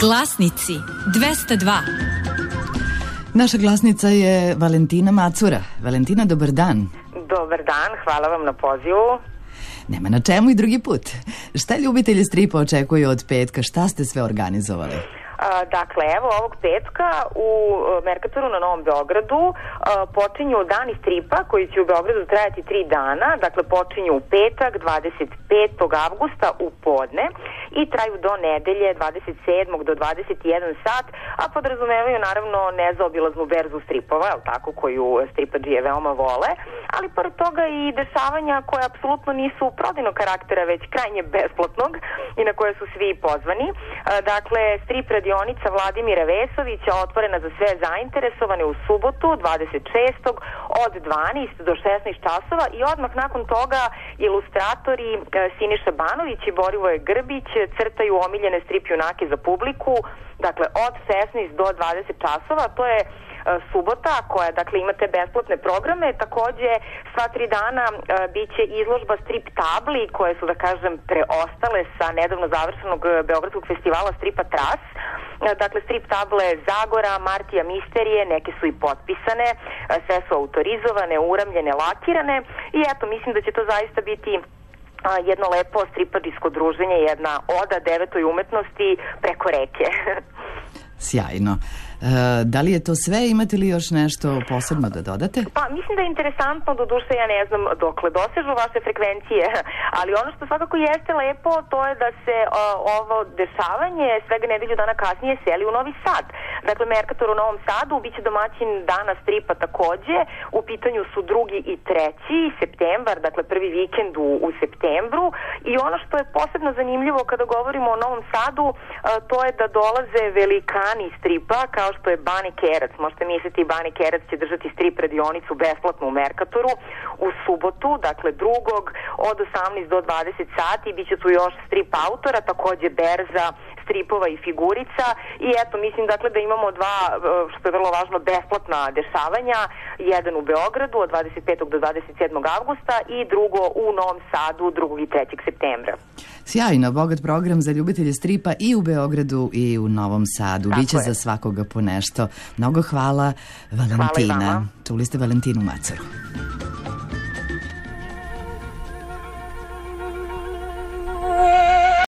Glasnici 202. Naša glasnica je Valentina Macura. Valentina, dobar dan. Dobar dan, hvala vam na pozivu. Nema na čemu i drugi put. Šta ljubitelji stripa očekuju od petka? Šta ste sve organizovali? Dakle, evo ovog petka u Merkatoru na Novom Beogradu počinju dani stripa koji će u Beogradu trajati 3 dana. Dakle, počinju u petak 25. avgusta u podne i traju do nedelje 27. do 21 sat, a podrazumevaju naravno nezaobilaznu berzu stripova, tako, koju stripadžije veoma vole, ali pored toga i dešavanja koje apsolutno nisu prodajnog karaktera, već krajnje besplatnog i na koje su svi pozvani. Dakle, strip radionica Vladimira Vesovića otvorena za sve zainteresovane u subotu 26. od 12 do 16 časova i odmah nakon toga ilustratori Siniša Banović i Borivoje Grbić crtaju omiljene strip junake za publiku, dakle od 16 do 20 časova. To je subota koja, dakle, imate besplatne programe. Takođe, sva 3 dana biće izložba strip tabli koje su, da kažem, preostale sa nedavno završenog Beogradskog festivala stripa Tras. Dakle, strip table Zagora, Martija Misterije, neke su i potpisane, sve su autorizovane, uramljene, lakirane i eto, mislim da će to zaista biti jedno lepo stripadijsko druženje, jedna oda 9. umetnosti preko reke. Sjajno. Da li je to sve? Imate li još nešto posebno da dodate? Pa, mislim da je interesantno, doduše ja ne znam dokle dosežu vaše frekvencije, ali ono što svakako jeste lepo, to je da se ovo dešavanje svega nedelju dana kasnije seli u Novi Sad. Dakle, Merkator u Novom Sadu biće domaćin dana stripa takođe. U pitanju su 2. i 3. septembar, dakle prvi vikend u septembru, i ono što je posebno zanimljivo kada govorimo o Novom Sadu, to je da dolaze velikani stripa, kao što je Bani Kerac. Možete misliti, Bani Kerac će držati strip radionicu besplatno u Merkatoru u subotu, dakle 2. od 18 do 20 sati. Biće tu još strip autora, takođe berza stripova i figurica i eto, mislim dakle da imamo 2, što je vrlo važno, besplatna dešavanja, jedan u Beogradu od 25. do 27. avgusta i drugo u Novom Sadu 2. i 3. septembra. Sjajno, bogat program za ljubitelje stripa i u Beogradu i u Novom Sadu. Biće za svakoga po nešto. Mnogo hvala, Valentina. Hvala i vama. Čuli ste Valentinu Macuru.